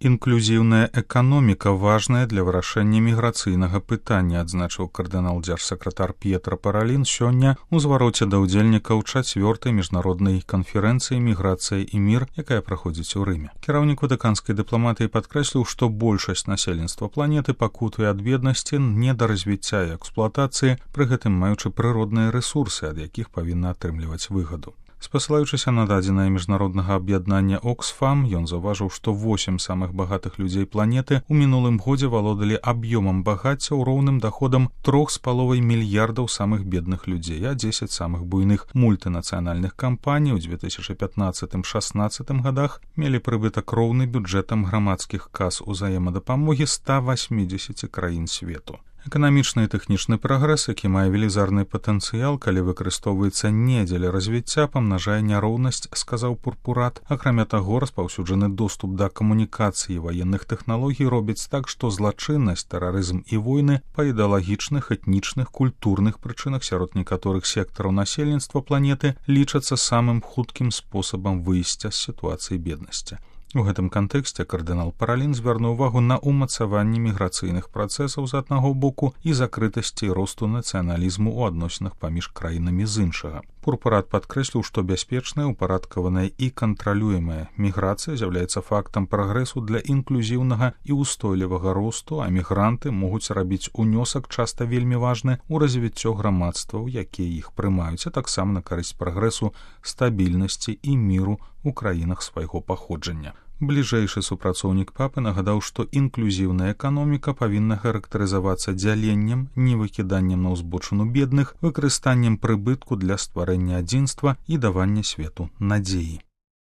Інклюзіўная эканоміка важная для вырашэння міграцыйнага пытання, адзначыў кардынал дзяржсакратар П'етра Паралін сёння ў звароце да ўдзельнікаў 4-й міжнароднай канферэнцыі «Міграцыя і мір», якая праходзіць у Рыме. Кіраўнік ватыканскай дыпламатыі падкрэсліў, што большасць насельніцтва планеты пакутуе ад беднасці, недаразвіцця і эксплуатацыі, пры гэтым маючы прыродныя рэсурсы, ад якіх павінна атрымліваць выгаду. Спасылаючыся на дадзенае міжнароднага аб'яднання Оксфам, ён заўважыў, што 8 самых багатых людзей планеты ў мінулым годзе валодалі аб'ёмам багацця ў роўным даходам 3,5 мільярдаў самых бедных людзей, а 10 самых буйных мультынацыянальных кампаній у 2015-16 годах мелі прыбытак роўны бюджэтам грамадскіх кас узаемадапамогі 180 краін свету. Эканамічны і тэхнічны прагрэс, які мае велізарны патэнцыял, калі выкарыстоўваецца не дзеля развіцця, памнажае няроўнасць, сказаў Пурпурат. Акрамя таго, распаўсюджаны доступ да камунікацыі і ваенных тэхналогій робіць так, што злачыннасць, тэрарызм і войны па ідэалагічных, этнічных, культурных прычынах сярод некаторых сектараў насельніцтва планеты лічацца самым хуткім спосабам выйсця з сітуацыі беднасці. У гэтым кантэксце кардынал Паралін звярнуў увагу на ўмацаванне міграцыйных працэсаў з аднаго боку і закрытасці і росту нацыяналізму ў адносінах паміж краінамі з іншага. Пурпурат падкрэсліў, што бяспечная, упарадкаваная і кантралюемая міграцыя з'яўляецца фактам прагрэсу для інклюзіўнага і ўстойлівага росту, а мігранты могуць рабіць унёсак, часта вельмі важны, у развіццё грамадстваў, якія іх прымаюць, а таксама на карысць прагрэсу, стабільнасці і міру ў краінах свайго паходжання. Бліжэйшы супрацоўнік папы нагадаў, што інклюзіўная эканоміка павінна характарызавацца дзяленнем, невыкіданнем на ўзбочыну бедных, выкарыстаннем прыбытку для стварэння адзінства і давання свету надзеі.